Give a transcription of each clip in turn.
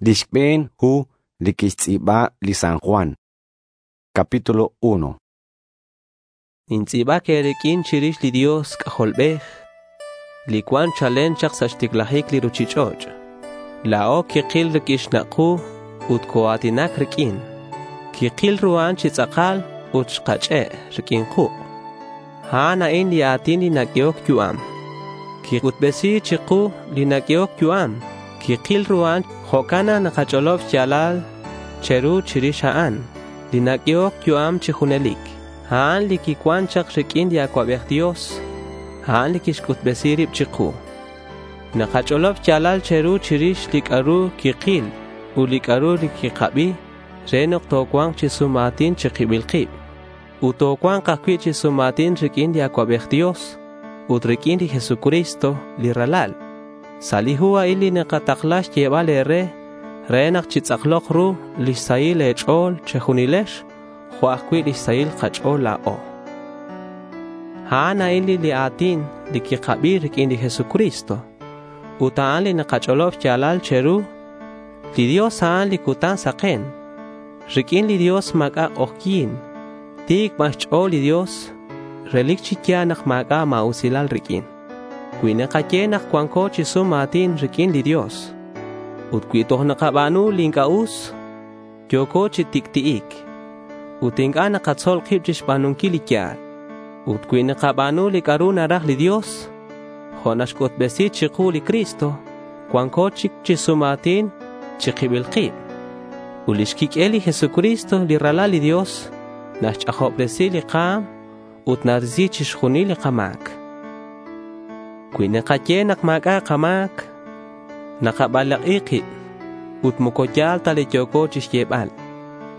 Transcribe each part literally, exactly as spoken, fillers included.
Li xb'een hu li kixtz'iib'a li San Juan. Capítulo uno. Nintz'iib'ak eerik'in chirix li Dios K'ajolb'ej, li cuan chalen chak sa' xticlajic li ruchich'och'. La̱o kikil riq'uin xnak' ku ut coa̱tinac riq'uin. Kikil ru a'an chi tz'akal ut xkach'e' riq'uin kuk'. A'an a'in li a̱tin li naq'uehoc yu'am. Quic'utbesi̱c chiku li naq'uehoc yu'am. Kikil ru a'an. Jo'can nak nakach'olob xya̱lal che̱ru chirix a'an, li naq'uehoc yu'am chi junelic. A'an li quicuan chak riq'uin li Acuabej Dios. A'an li quixc'utbesi rib chiku. Nakach'olob xya̱lal che̱ru chirix li c'a'ru quikil ut li c'a'ru li quikabi re nak tocua̱nk chi sum a̱tin chi kibil kib. Ut tocua̱nk ajcui' chi sum a̱tin riq'uin li Acuabej Dios ut riq'uin li Jesucristo li Ralal. Sa' li hu a'in li nakatakla xyebal e̱re re nak chitz'aklok ru lix sahil e̱ch'o̱l che̱junilex jo' ajcui' lix sahil kach'o̱l la̱o. A'an a'in li a̱tin li quikabi riq'uin li Jesucristo ut a'an li nakach'olob xya̱lal che̱ru. Li Dios a'an li cutan saken. Riq'uin li Dios ma̱c'a' k'ojyi̱n. Ti̱c ban xch'o̱l li Dios. Relic chi ya̱l nak ma̱c'a' ma̱usilal riq'uin. Cui nakaye nak cuanco chi sum a̱tin riq'uin li Dios ut cui toj nakaba̱nu li inc'a' us, yo̱co chi tic'ti'ic ut inc'a' nakatzol kib chixba̱nunquil li ya̱l. Ut cui nakaba̱nu li c'a'ru naraj li Dios, jo' naxc'utbesi chiku li Cristo, cuanco chic chi sum a̱tin chi kibil kib. Ut lix quiq'uel li Jesucristo, li Ralal li Dios, naxch'ajobresi li ka̱m ut narisi chixjunil li kama̱c. Cui nakaye nak ma̱c'a' kama̱c, nakabalak'i kib ut moco ya̱l ta li yo̱co chixyebal.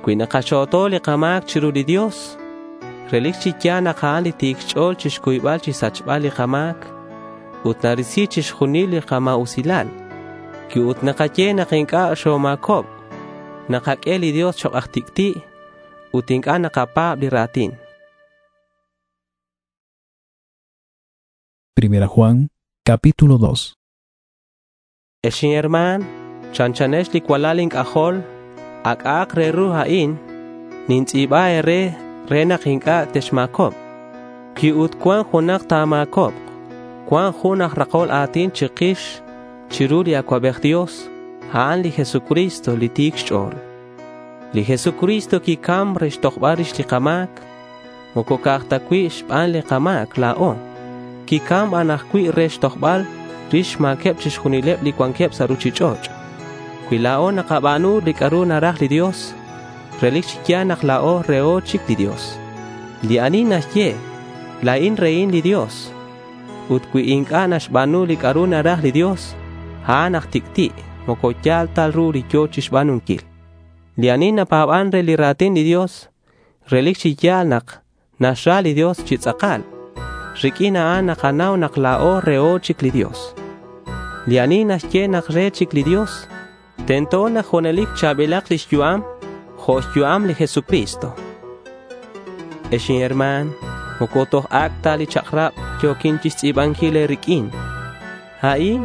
Cui nakaxo̱to li kama̱c chiru li Dios, relic chi ya̱l nak a'an li ti̱c xch'o̱l chixcuybal chixsachbal li kama̱c ut narisi chixjunil li kama̱usilal. Cui ut nakaye nak inc'a' xoma̱cob, nakaq'ue li Dios chok' aj tic'ti' ut inc'a' nakapa̱b li ra̱tin. Primera Juan, capítulo dos. Ex inherman, chanchanex li cualal ink'ajol, ak'aak re ru a'in, nintz'iib'a eere re nak inc'a' texma̱cob. Cui ut cuan junak ta̱ma̱cob, cuan jun aj rakol a̱tin chikix chiru li Acuabej Dios, a'an li Jesucristo li ti̱c xch'o̱l. Li Jesucristo quicam re xtojbal rix li kama̱c, moco ca'aj ta cui' xban li kama̱c la̱o. Quicam ban ajcui' re xtojbal rix xma̱queb chixjunileb li cuanqueb sa' ruchich'och'. Cui la̱o nakaba̱nu li c'a'ru naraj li Dios, relic chi ya̱l nak la̱o reho chic li Dios. Li ani naxye, la̱in rehin li Dios. Ut cui inc'a' naxba̱nu li c'a'ru naraj li Dios, a'an aj tic'ti', moco ya̱l ta ru li yo̱ chixba̱nunquil. Li ani napa̱ban re li ra̱tin li Dios, relic chi ya̱l nak naxra li Dios chi tz'akal. Riq'uin a'an nakanau nak la̱o reho chic li Dios. Li ani naxye nak re chic li Dios, tento nak junelic cha̱bilak lix yu'am jo' xyu'am li Jesucristo. Ex inherman, moco toj ac' ta li chak'rab yo̱quin chixtz'i̱banquil e̱riq'uin. A'in,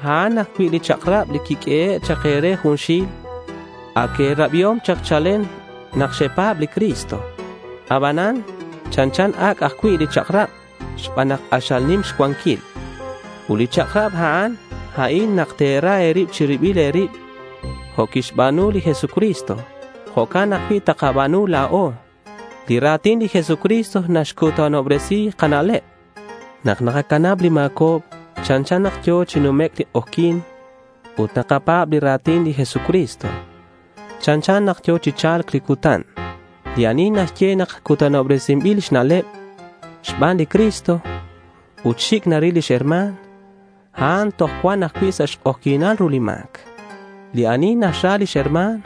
a'an ajcui' li chak'rab li quiq'uehe' chak e̱re junxil. Ac e̱rabiom chak chalen nak xepa̱b li Cristo. Abanan, chanchan ac' ajcui' li chak'rab xban nak k'axal nim xcuanquil. Ut li chak'rab a'an, a'in nak te̱ra e̱rib chi ribil e̱rib jo' quixba̱nu li Jesucristo. Jo'can ajcui' takaba̱nu la̱o. Li ra̱tin li Jesucristo naxcutanobresi kana'leb. Nak nakacanab li ma̱cob, chanchan nak yo̱ chi numec' li k'ojyi̱n ut nakapa̱b li ra̱tin li Jesucristo. Chanchan nak yo̱ chi cha̱lc li cutan. Li ani naxye nak cutanobresinbil xna'leb xban li Cristo ut xic' naril lix herma̱n, a'an toj cuan ajcui' sa' xk'ojyi̱nal ru li ma̱c. Li ani naxra lix herma̱n,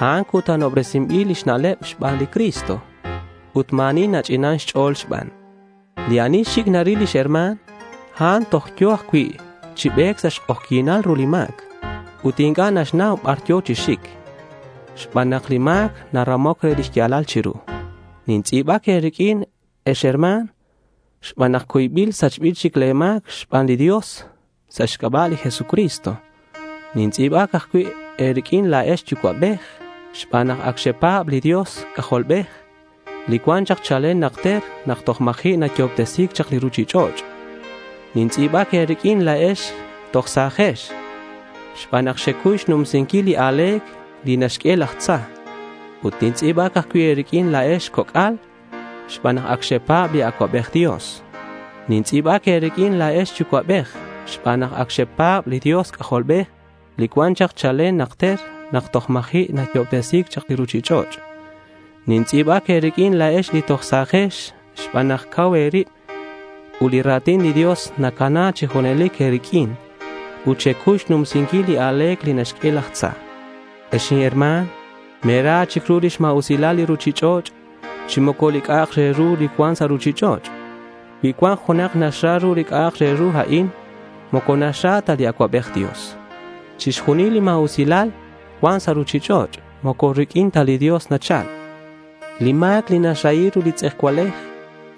a'an cutanobresinbil lix na'leb xban li Cristo ut ma̱ ani nach'inan xch'o̱l xban. Li ani xic' naril lix herma̱n, a'an toj yo̱ ajcui' chi be̱c sa' xk'ojyi̱nal ru li ma̱c ut inc'a' naxnau bar yo̱ chi xic xban nak li ma̱c naramoc re lix ya̱lal chiru. Nintz'i̱bac e̱riq'uin, ex herma̱n, xban nak cuybil sachbil chic le̱ ma̱c xban li Dios sa' xc'aba' li Jesucristo. Nintz'i̱bac ajcui' e̱riq'uin la̱ex yucua'bej xban nak ac xepa̱b li Dios C'ajolbej, li cuan chak chalen najter nak toj ma̱ji' nayo'obtesi̱c chak li ruchich'och'. Nintz'i̱bac e̱riq'uin la̱ex toj sa̱jex xban nak xecuy xnumsinquil li a̱le̱c li naxq'ue laj tza. Ut nintz'i̱bac ajcui' e̱riq'uin la̱ex coc'al xban nak ac xepa̱b li Acuabej Dios. Nintz'i̱bac e̱riq'uin la̱ex yucua'bej xban nak ac xepa̱b li Dios C'ajolbej, li cuan chak chalen najter nak toj ma̱ji' nayo'obtesi̱c chak li ruchich'och'. Nintz'i̱bac e̱riq'uin la̱ex li toj sa̱jex xban nak cau e̱rib ut li ra̱tin li Dios nacana chi junelic e̱riq'uin ut xecuy xnumsinquil li a̱le̱c li naxq'ue laj tza. Ex inherma̱n, me̱ra chic ru lix ma̱usilal li ruchich'och' chi moco li c'a'ak re ru li cuan sa' ruchich'och'. Cui cuan junak naxra ru li c'a'ak re ru a'in, moco naxra ta li Acuabej Dios. Chixjunil li ma̱usilal cuan sa' ruchich'och' moco riq'uin ta li Dios nachal. Li ma̱c li naxrahi ru li tz'ejcualej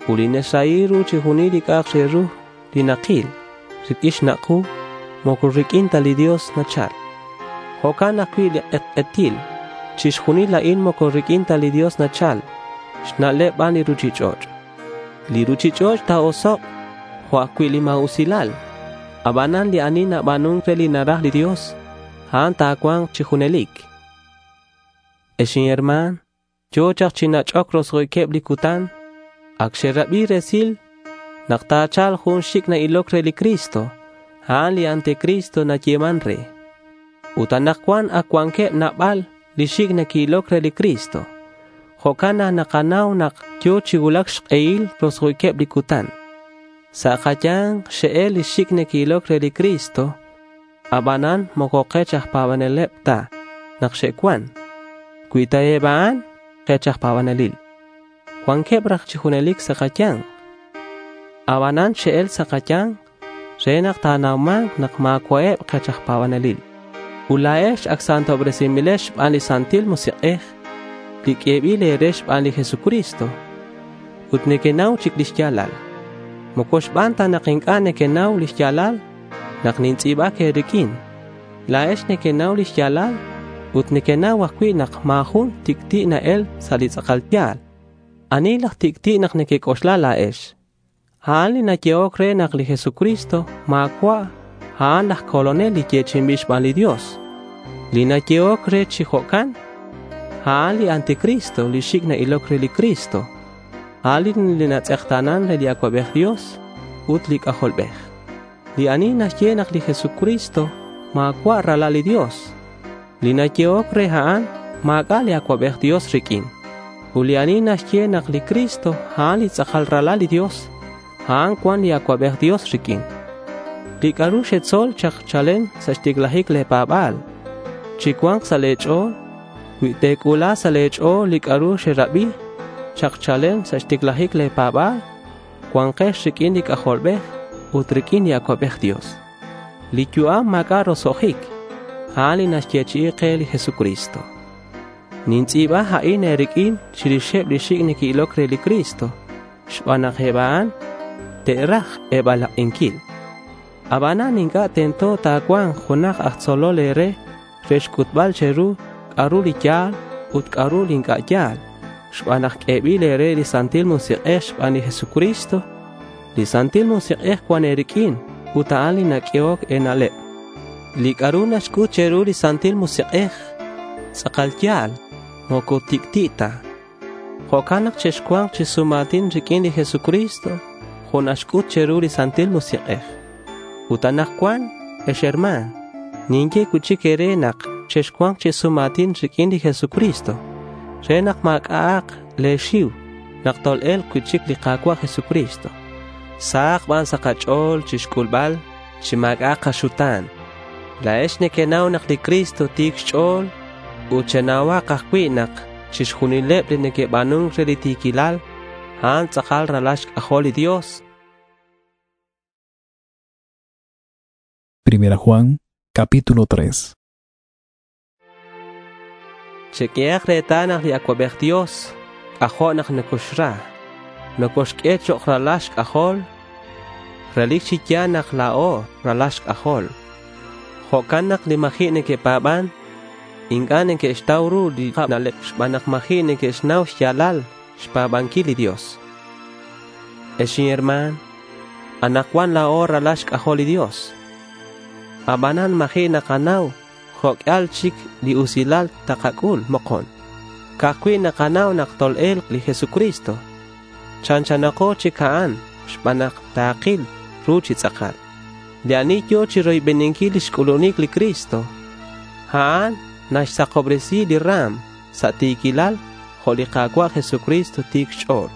ut li naxrahi ru chixjunil li c'a'ak re ru li nakil riq'uin xnak' ku, moco riq'uin ta li Dios nachal. Jo'can ajcui' li k'etk'etil. Chixjunil a'in moco riq'uin ta li Dios nachal. Xna'leb ban li ruchich'och'. Li ruchich'och' ta̱osok' jo' ajcui' li ma̱usilal. Abanan li ani naba̱nun re li naraj li Dios, a'an ta̱cua̱nk chi junelic. Ex inherma̱n, yo̱ chak chi nach'oc roso'jiqueb li cutan. Ac xerabi resil nak ta̱cha̱lk jun xic' na-iloc re li Cristo. A'an li anticristo nayeman re. Ut anakcuan ac cuanqueb nabal li xic' neque'iloc re li Cristo. Jo'can nak nakanau nak yo̱ chi cuulac xk'ehil roso'jiqueb li cutan. Sa' kaya̱nk xe'el li xic' neque'iloc re li Cristo. Abanan moco kech aj pa̱baneleb ta nak xe'cuan. Cui ta eb a'an kech aj pa̱banelil, cuanqueb raj chi junelic sa' kaya̱nk. Abanan xe'el sa' kaya̱nk re nak ta̱nauma̱nk nak ma̱cua'eb kech aj pa̱banelil. Ut la̱ex ac santobresinbilex xban li Santil Musik'ej li q'uebil e̱re xban li Jesucristo. Ut nequenau chic lix ya̱lal. Moco xban ta nak inc'a' nequenau lix ya̱lal nak nintz'i̱bac e̱riq'uin. La̱ex nequenau lix ya̱lal ut nequenau ajcui' nak ma̱ jun tic'ti' na-el sa' li tz'akal ya̱l. Ani laj tic'ti' nak nequec'oxla la̱ex? A'an li nayehoc re nak li Jesucristo ma̱cua' a'an laj Colonel li yechi'inbil xban li Dios. Li nayehoc re chi jo'can, a'an li anticristo li xic' na-iloc re li Cristo. A'an li natz'ekta̱nan re li Acuabej Dios ut li C'ajolbej. Li ani naxye nak li Jesucristo ma̱cua' ralal li Dios, li nayehoc re a'an ma̱c'a' li Acuabej Dios riq'uin. Ut li ani naxye nak li Cristo a'an li tz'akal ralal li Dios, a'an cuan li Acuabej Dios riq'uin. Li c'a'ru xetzol chak chalen sa' xticlajic le̱ pa̱ba̱l, chi cua̱nk sa' le̱ ch'o̱l. Cui te̱c'ula sa' le̱ ch'o̱l li c'a'ru xerabi chak chalen sa' xticlajic le̱ pa̱ba̱l, cua̱nkex riq'uin li C'ajolbej ut riq'uin li Acuabej Dios. Li yu'am ma̱c'a' roso'jic, a'an li naxyechi'i ke li Jesucristo. Nintz'i̱ba a'in e̱riq'uin chirixeb li xic' neque'iloc re li Cristo xban nak eb a'an te'raj e̱balak'inquil. Abanan inc'a' tento ta̱cua̱nk junak aj tzolol e̱re re xc'utbal che̱ru c'a'ru li ya̱l ut c'a'ru li inc'a' ya̱l xban nak q'uebil e̱re li Santil Musik'ej xban li Jesucristo. Li Santil Musik'ej cuan e̱riq'uin ut a'an li naq'uehoc e̱na'leb. Li c'a'ru naxc'ut che̱ru li Santil Musik'ej tz'akal ya̱l, moco tic'ti' ta. Jo'can nak chexcua̱nk chi sum a̱tin riq'uin li Jesucristo jo' naxc'ut che̱ru li Santil Musik'ej. Ut anakcuan, ex herma̱n, ninye cui'chic e̱re nak chexcua̱nk chi sum a̱tin riq'uin li Jesucristo re nak ma̱c'a'ak le̱ xiu nak tol-e̱lk cui'chic li Ka̱cua' Jesucristo. Sahak ban sa' kach'o̱l chixc'ulbal chi ma̱c'a' kaxuta̱n. La̱ex nequenau nak li Cristo ti̱c xch'o̱l ut chenauhak ajcui' nak chixjunileb li neque'ba̱nun re li ti̱quilal, a'an tz'akal ralal xc'ajol li Dios. Primera Juan, capítulo tres. Cheq'uehak retal nak li Acuabej Dios c'ajo' nak nocoxra. Nocoxq'ue chok' ralal xc'ajol. Relic chi ya̱l nak la̱o ralal xc'ajol. Jo'can nak li ma̱ji' neque'pa̱ban Inc'a' neque'xtau ru li na'leb xban nak ma̱ji' neque'xnau xya̱lal xpa̱banquil li Dios. Ex inherma̱n, anakcuan la̱o ralal xc'ajol li Dios. Abanan ma̱ji' nakanau jo' q'uial chic li usilal takac'ul mokon. Ca'aj cui' nakanau nak tol-e̱lk li Jesucristo. Chanchanako chic a'an xban nak takil ru chi tz'akal. Li ani yo̱ chiroybeninquil lix c'ulunic li Cristo, a'an naxsakobresi li ra̱m sa' ti̱quilal jo' li Ka̱cua' Jesucristo ti̱c xch'o̱l.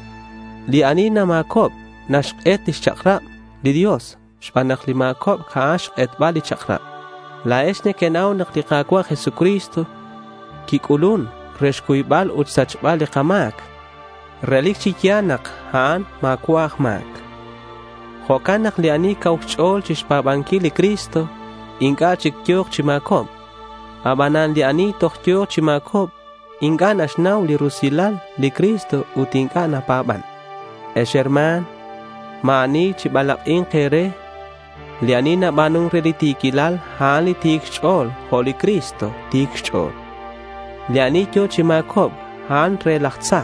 Li ani nama̱cob naxk'et lix chak'rab li Dios xban nak li ma̱cobc a'an xk'etbal li chak'rab. La̱ex nequenau nak li Ka̱cua' Jesucristo quic'ulun re xcuybal ut xsachbal li kama̱c. Relic chi ya̱l nak a'an ma̱cua' aj ma̱c. Jo'can nak li ani cau xch'o̱l chixpa̱banquil li Cristo inc'a' chic yo̱k chi ma̱cobc. Abanan li ani toj yo̱ chi ma̱cobc inc'a' naxnau li rusilal li Cristo ut inc'a' napa̱ban. Ex herma̱n, ma̱ ani chibalak'i̱nk e̱re. Li ani naba̱nun re li ti̱quilal, a'an li ti̱c xch'o̱l jo' li Cristo ti̱c xch'o̱l. Li ani yo̱ chi ma̱cobc, a'an re laj tza,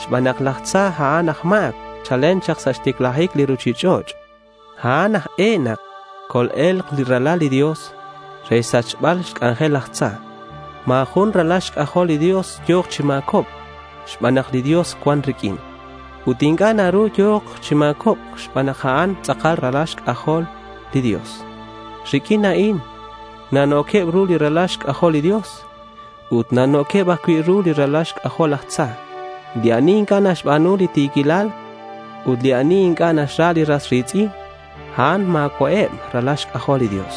xban nak laj tza a'an aj ma̱c chalen chak sa' xticlajic li ruchich'och'. A'an aj e nak col-e̱lk li Ralal li Dios re xsachbal xc'anjel laj tza. Ma̱ jun ralal xc'ajol li Dios yo̱k chi ma̱cobc xban nak li Dios cuan riq'uin. Ut inc'a' naru yo̱k chi ma̱cobc xban nak a'an tz'akal ralal xc'ajol li Dios. Riq'uin a'in nanoqueb ru li ralal xc'ajol li Dios ut nanoqueb ajcui' ru li ralal xc'ajol laj tza. Li ani inc'a' naxba̱nu li ti̱quilal ut li ani inc'a' naxra li ras ri̱tz'in, a'an ma̱cua'eb ralal xc'ajol li Dios.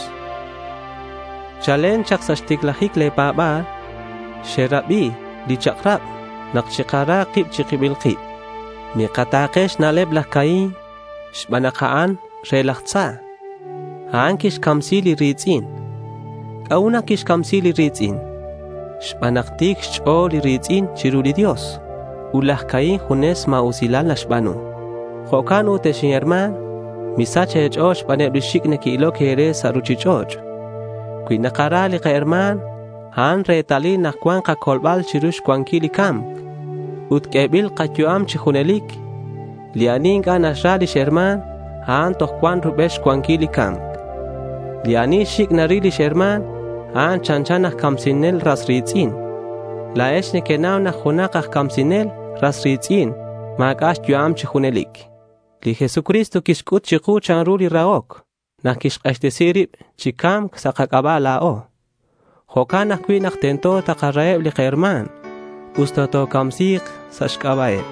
Chalen chak sa' xticlajic le̱ pa̱ba̱l, xerabi li chak'rab nak chikara kib chi kibil kib. Mikata̱ke xna'leb laj Caín xban nak a'an re laj tza. A'an quixcamsi li ri̱tz'in. ¿C'a'ut nak quixcamsi li ri̱tz'in? Xban nak ti̱c xch'o̱l li ri̱tz'in chiru li Dios ut laj Caín junes ma̱usilal naxba̱nu. Jo'can ut, ex inherma̱n, misach e̱ch'o̱l xbaneb li xic' neque'iloc e̱re sa' ruchich'och'. Cui nakara li kaherma̱n, a'an retalil nak cuan kacolbal chiru xcuanquil li ca̱mc ut q'uebil kayu'am chi junelic. Li ani inc'a' naxra lix herma̱n, a'an toj cuan rubel xcuanquil li ca̱mc. Li ani xic' naril lix herma̱n, a'an chanchan aj camsinel ras ri̱tz'in. La̱ex nequenau nak junak aj camsinel ras ri̱tz'in ma̱c'a' xyu'am chi junelic. Li Jesucristo quixc'ut chiku chanru li rahoc nak quixk'axtesi rib chi ca̱mc sa' kac'aba' la̱o. Jo'can ajcui' nak tento takaraheb li kaherma̱n usta tocamsi̱k sa' xc'aba'eb.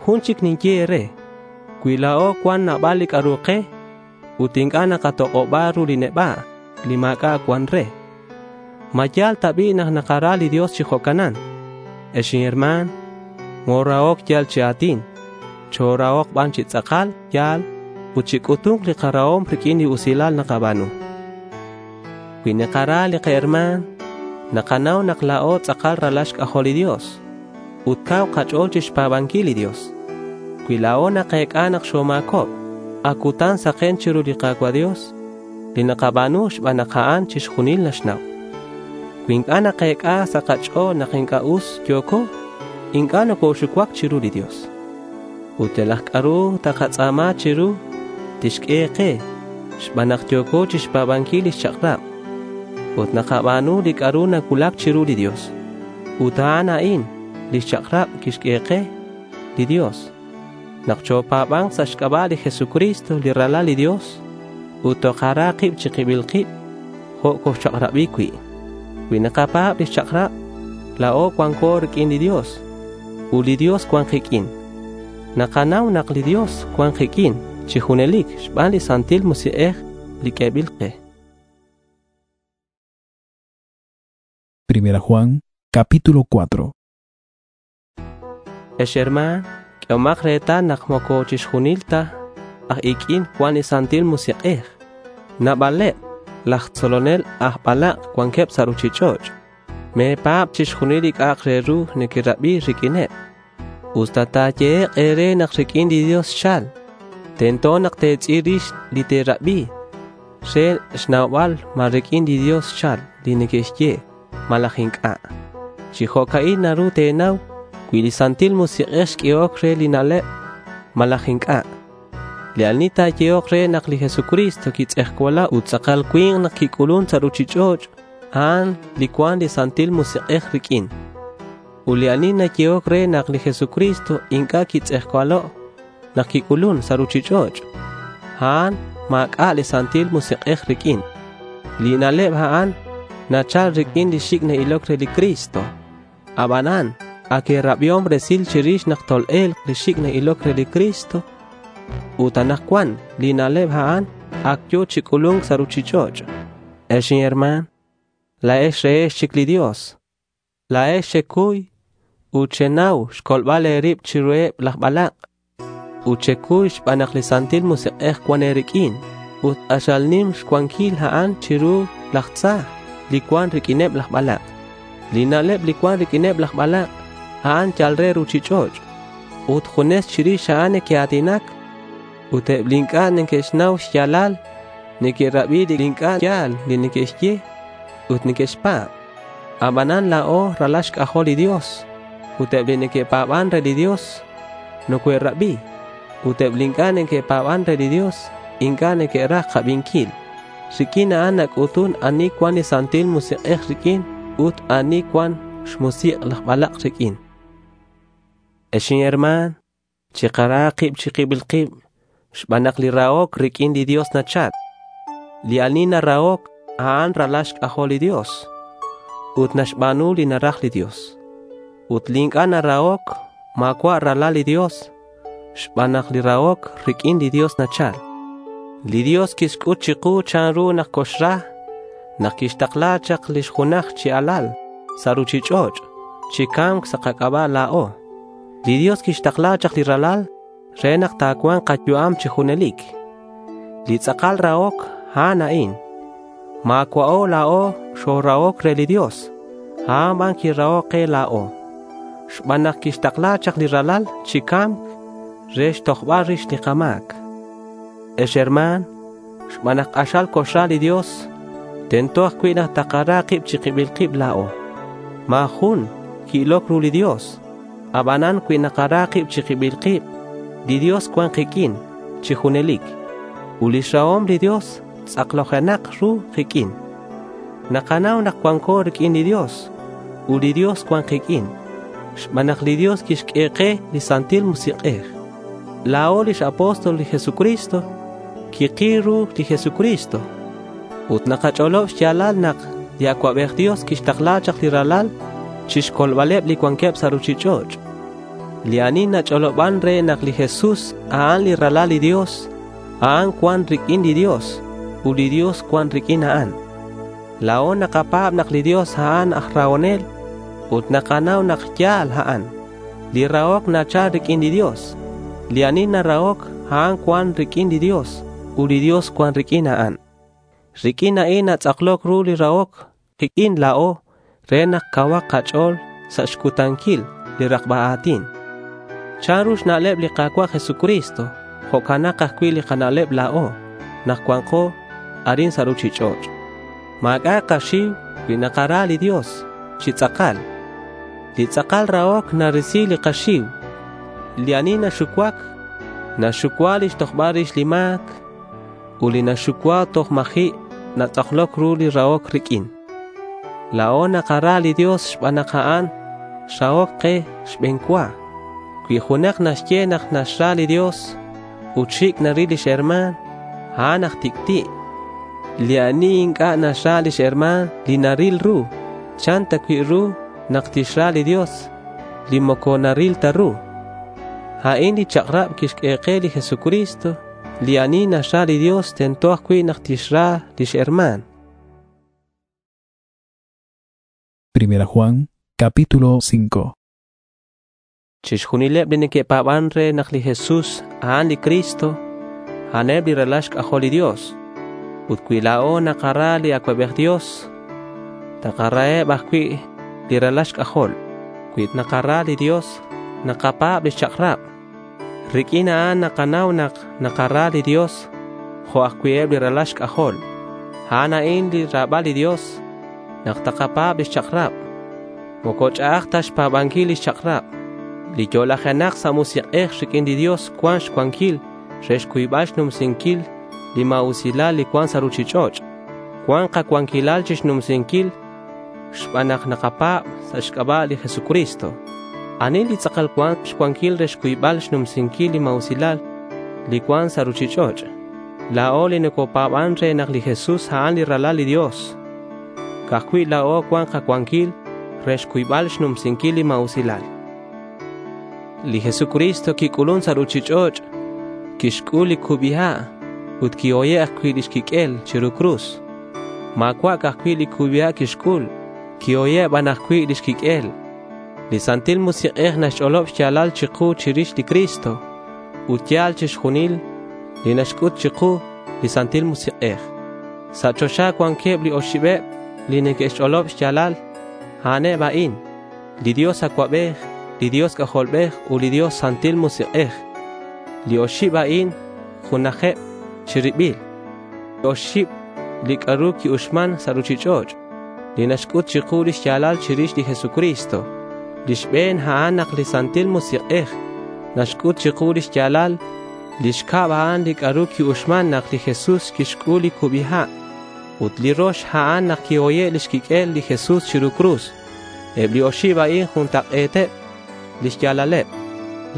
Jun chic ninye e̱re, cui la̱o cuan nabal li c'a'ru ke ut inc'a' nakatok'oba ru li neba' li ma̱c'a' cuan re, ¿ma ya̱l ta bi' nak nakara li Dios chi jo'canan? Ex inherma̱n, morahoc yal chi a̱tin, chorahok ban chi tz'akal ya̱l ut chic'utu̱nk li karahom riq'uin li usilal nakaba̱nu. Cui nakara li kaherma̱n, nakanau nak la̱o tz'akal ralal xc'ajol li Dios ut cau kach'o̱l chixpa̱banquil li Dios. Cui la̱o nakec'a nak xoma̱cob, ac cutan saken chiru li Ka̱cua' Dios li nakaba̱nu xban nak a'an chixjunil naxnau. Cui inc'a' nakec'a sa' kach'o̱l nak inc'a' us yo̱co, inc'a' nocoxucuac chiru li Dios. Ut yalak c'a'ru takatz'a̱ma chiru, tixq'ue ke xban nak yo̱co chixpa̱banquil lix chak'rab ut nakaba̱nu li c'a'ru nacuulac chiru li Dios. Ut a'an a'in lix chak'rab quixq'ue ke li Dios, nak chopa̱ba̱nk sa' xc'aba' li Jesucristo li Ralal li Dios ut tokara kib chi kibil kib jo' coxchak'rabi cui'. Cui nakapa̱b lix chak'rab, la̱o cuanco riq'uin li Dios ut li Dios cuan kiq'uin. Nakanau nak li Dios cuan kiq'uin chi junelic xban li Santil Musik'ej li q'uebil ke. Primera Juan, capítulo cuatro. Ex herma̱n, q'uehomak retal nak moco chixjunil ta aj iq'uin cuan li Santil Musik'ej. Nabaleb laj tzolonel aj balak' cuanqueb sa' ruchich'och'. Me̱pa̱b chixjunil li c'a'ak re ru nequerabi riq'uineb. Usta ta̱yehek' e̱re nak riq'uin li Dios xchal, tento nak te̱tz'il rix li te̱rabi re xnaubal ma riq'uin li Dios xchal li neque'xye. malaj inc'a'. Chi jo'ca'in naru te̱nau cui li Santil Musik'ej xq'uehoc re li na'leb malaj inc'a'. Li ani ta̱yehok re nak li Jesucristo quitz'ejcualo' ut tz'akal cui̱nk nak quic'ulun sa' ruchich'och', a'an li cuan li Santil Musik'ej riq'uin. Ut li ani nayehoc re nak li Jesucristo inc'a' quitz'ejcualo' nak quic'ulun sa' ruchich'och', a'an ma̱c'a' li Santil Musik'ej riq'uin. Li na'leb a'an nachal riq'uin li xic' na-iloc re li Cristo. Abanan ac e̱rabiom resil chirix nak tol-e̱lk li xic' na-iloc re li Cristo. Ut anakcuan li na'leb a'an ac yo̱ chi c'ulu̱nc sa' ruchich'och'. Ex inherma̱n, la̱ex rehex chic li Dios. La̱ex xecuy ut xenau xcolbal e̱rib chiruheb laj balak'. Ut xecuy xban nak li Santil Musik'ej cuan e̱riq'uin. Ut k'axal nim xcuanquil a'an chiru laj tza li cuan riq'uineb laj balak'. Li na'leb li cuan riq'uineb laj balak', a'an yal re ruchich'och'. Ut junes chirix a'an neque'a̱tinac. Ut eb li inc'a' neque'xnau xya̱lal, neque'rabi li inc'a' ya̱l li neque'xye ut neque'xpa̱b. Abanan la̱o ralal xc'ajol li Dios ut eb li neque'pa̱ban re li Dios nocoe'rabi. Ut eb li inc'a' neque'pa̱ban re li Dios inc'a' neque'raj kabinquil. Riq'uin a'an nac'utun ani cuan li Santil Musik'ej riq'uin ut ani cuan xmusik' laj balak' riq'uin. Ex inherma̱n, chikara kib chi kibil kib xban nak li rahoc riq'uin li Dios nachal. Li ani narahoc, a'an ralal xc'ajol li Dios ut naxba̱nu li naraj li Dios. Ut li inc'a' narahoc, ma̱cua' ralal li Dios xban nak li rahoc riq'uin li Dios nachal. Li Dios quixc'ut chiku chanru nak coxra nak quixtakla chak lix junaj chi alal sa' ruchich'och' chi ca̱mc sa' kac'aba' la̱o. Li Dios quixtakla chak li ralal re nak ta̱cua̱nk kayu'am chi junelic. Li tz'akal rahoc, a'an a'in. Ma̱cua'o la̱o xorahoc re li Dios. A'an ban quirahoc ke la̱o. Xban nak quixtakla chak li ralal chi ca̱mc re xtojbal rix li kama̱c. Ex herma̱n, xban nak k'axal coxra li Dios, tento ajcui' nak takara kib chi kibil kib la̱o. Ma̱ jun qui-iloc ru li Dios. Abanan cui nakara kib chi kibil kib, li Dios cuan kiq'uin chi junelic. Ut lix rahom li Dios tz'aklojenak ru kiq'uin. Nakanau nak cuanco riq'uin li Dios ut li Dios cuan kiq'uin. Xban nak li Dios quixq'ue ke li Santil Musik'ej. La̱o lix apóstol li Jesucristo kikil ru li Jesucristo. Ut nakach'olob xya̱lal nak li Acuabej Dios quixtakla chak li ralal chixcolbaleb li cuanqueb sa' ruchich'och'. Li ani nach'oloban re nak li Jesús a'an li ralal li Dios, a'an cuan riq'uin li Dios, ut li Dios cuan riq'uin a'an. La̱o nakapa̱b nak li Dios a'an aj rahonel ut nakanau nak ya̱l a'an. Li rahoc nachal riq'uin li Dios. Li ani narahoc a'an cuan riq'uin li Dios ut li Dios cuan riq'uin a'an. Riq'uin a'in natz'akloc ru li rahoc kiq'uin la̱o re nak cauhak kach'o̱l sa' xcutanquil li rakba a̱tin. Chanru xna'leb li Ka̱cua' Jesucristo, jo'canak ajcui' li kana'leb la̱o nak cuanko arin sa' ruchich'och'. Ma̱c'a' kaxiu cui nakara li Dios chi tz'akal. Li tz'akal rahoc narisi li kaxiu. Li ani naxucuac, naxucua lix tojbal rix li ma̱c. Ut li naxucua toj ma̱ji' natz'akloc ru li rahoc riq'uin. La̱o nakara li Dios xban nak a'an xrahoc ke xbe̱n cua. Cui junak naxye nak naxra li Dios ut xic' naril lix herma̱n, a'an aj tic'ti'. Li ani inc'a' naxra lix herma̱n li naril ru, chan ta cui' ru nak tixra li Dios li moco naril ta ru. A'in li chak'rab quixq'ue ke li Jesucristo. Li ani naxra li Dios tento ajcui' nak tixra lix herma̱n. Primera Juan, capítulo cinco. Chixjunileb li neque'pa̱ban re nak li Jesús a'an li Cristo, a'aneb li ralal xc'ajol li Dios. Ut cui la̱o nakara li Acuabej Dios, takaraheb ajcui' li ralal xc'ajol. Cui nakara li Dios, nakapa̱b lix chak'rab. Riq'uin a'an nakanau nak nakara li Dios jo' ajcui' eb li ralal xc'ajol. A'an a'in li ra̱bal li Dios, nak takapa̱b lix chak'rab. Moco ch'a'aj ta xpa̱banquil lix chak'rab. Li yo'lajenak sa' musik'ej riq'uin li Dios cuan xcuanquil re xcuybal xnumsinquil li ma̱usilal li cuan sa' ruchich'och'. Cuan kacuanquilal chixnumsinquil xban nak nakapa̱b sa' xc'aba' li Jesucristo. Ani li tz'akal cuan xcuanquil re xcuybal xnumsinquil li ma̱usilal li cuan sa' ruchich'och'? La̱o li nocopa̱ban re nak li Jesús a'an li Ralal li Dios. Ca'ajcui' la̱o cuan kacuanquil re xcuybal xnumsinquil li ma̱usilal. Li Jesucristo quic'ulun sa' ruchich'och', quixc'ul li cubi ha' ut quihoye' ajcui' lix quiq'uel chiru cruz. Ma̱cua' ca'ajcui' li cubi ha' quixc'ul, quihoye' ban ajcui' lix quiq'uel. Li Santil Musik'ej naxch'olob xya̱lal chiku chirix li Cristo ut ya̱l chixjunil li naxc'ut chiku li Santil Musik'ej. Sa' choxa cuanqueb li oxibeb li neque'xch'olob xya̱lal. A'aneb a'in: li Dios Acuabej, li Dios C'ajolbej ut li Dios Santil Musik'ej. Li oxib a'in junajeb chi ribil. Oxib li c'a'ru qui-uxman sa' ruchich'och' li naxc'ut chiku li xya̱lal chirix li Jesucristo. Li xbe̱n a'an nak li Santil Musik'ej naxc'ut chiku li xya̱lal. Li xcab a'an li c'a'ru qui-uxman nak li Jesús quixc'ul li cubi ha'. Ut li rox a'an nak quihoye' lix quiq'uel li Jesús chiru cruz. Eb li oxib a'in juntak'e̱teb lix ya̱laleb.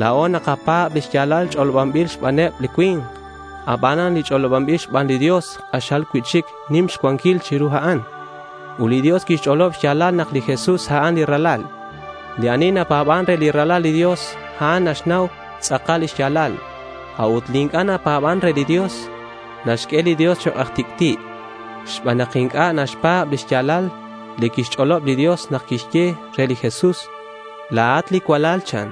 La̱o nakapa̱b li xya̱lal ch'olobanbil xbaneb li cui̱nk. Abanan li ch'olobanbil xban li Dios k'axal cui'chic nim xcuanquil chiru a'an. Ut li Dios quixch'olob xya̱lal nak li Jesús a'an li Ralal. Li ani napa̱ban re li Ralal li Dios, a'an naxnau tz'akal lix ya̱lal. A'ut li inc'a' napa̱ban re li Dios, naxq'ue li Dios chok' aj tic'ti' xban nak inc'a' naxpa̱b lix ya̱lal li quixch'olob li Dios nak quixye re li Jesús, La̱at li cualal, chan.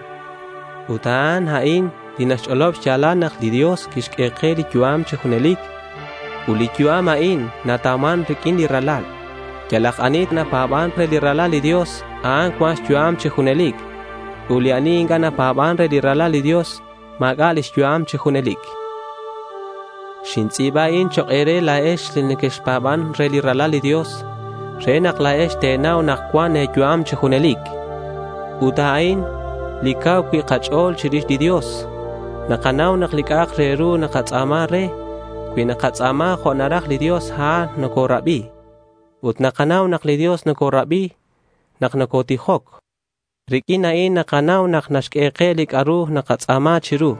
Ut a'an a'in li naxch'olob xya̱lal nak li Dios quixq'ue ke li yu'am chi junelic. Ut li yu'am a'in natauman riq'uin li Ralal. Yalak ani napa̱ban re li Ralal li Dios, a'an cuan xyu'am chi junelic. Ut li ani inc'a' napa̱ban re li Ralal li Dios, ma̱c'a' lix yu'am chi junelic. Xintz'i̱ba a'in chok' e̱re la̱ex li nequexpa̱ban re li Ralal li Dios, re nak la̱ex te̱nau nak cuan e̱yu'am chi junelic. Ut a'in li cau cui' kach'o̱l chirix li Dios. Nakanau nak li c'a'ak re ru nakatz'a̱ma re, cui nakatz'a̱ma jo' naraj li Dios, a'an nocorabi. Ut nakanau nak li Dios nocorabi nak nocotijoc. Riq'uin a'in nakanau nak naxq'ue ke li c'a'ru nakatz'a̱ma chiru.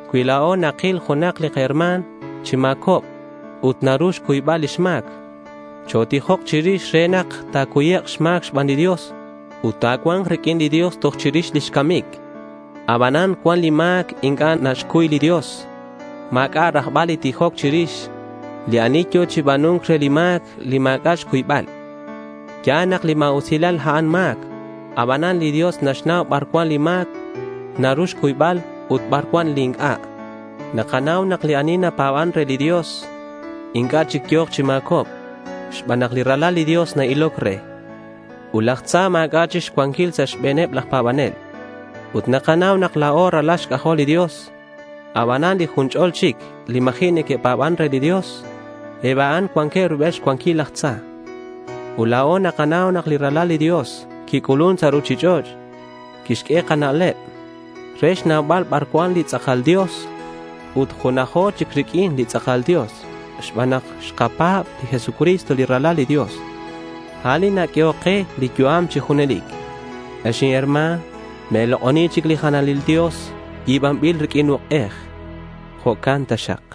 Cui la̱o nakil junak li kaherma̱n chi ma̱cob ut naru xcuybal lix ma̱c, chotijok chirix re nak ta̱cuyek' xma̱c xban li Dios ut ta̱cua̱nk riq'uin li Dios toj chirix lix camic. Abanan cuan li ma̱c inc'a' naxcuy li Dios. Ma̱c'a' rajbal li tijoc chirix li ani yo̱ chi ba̱nunk re li ma̱c li ma̱c'a' xcuybal. Ya̱l nak li ma̱usilal a'an ma̱c. Abanan li Dios naxnau bar cuan li ma̱c naru xcuybal ut bar cuan li inc'a'. Nakanau nak li ani napa̱ban re li Dios inc'a' chic yo̱k chi ma̱cob xban nak li Ralal li Dios na-iloc re. Ut laj tza ma̱c'a' chic xcuanquil sa' xbe̱neb laj pa̱banel. Ut nakanau nak la̱o ralal xc'ajol li Dios. Abanan li jun ch'ol chic li ma̱ji' neque'pa̱ban re li Dios, eb a'an cuanqueb rubel xcuanquil laj tza. Ut la̱o nakanau nak li Ralal li Dios quic'ulun sa' ruchich'och', quixq'ue kana'leb re xnaubal bar cuan li tz'akal Dios ut junajo chic riq'uin li tz'akal Dios xban nak xkapa̱b li Jesucristo li Ralal li Dios. A'an li naq'uehoc ke li yu'am chi junelic. Ex inherma̱n, me̱lok'oni chic li jalanil dios yi̱banbil riq'uin uk'ej. Jo'can taxak.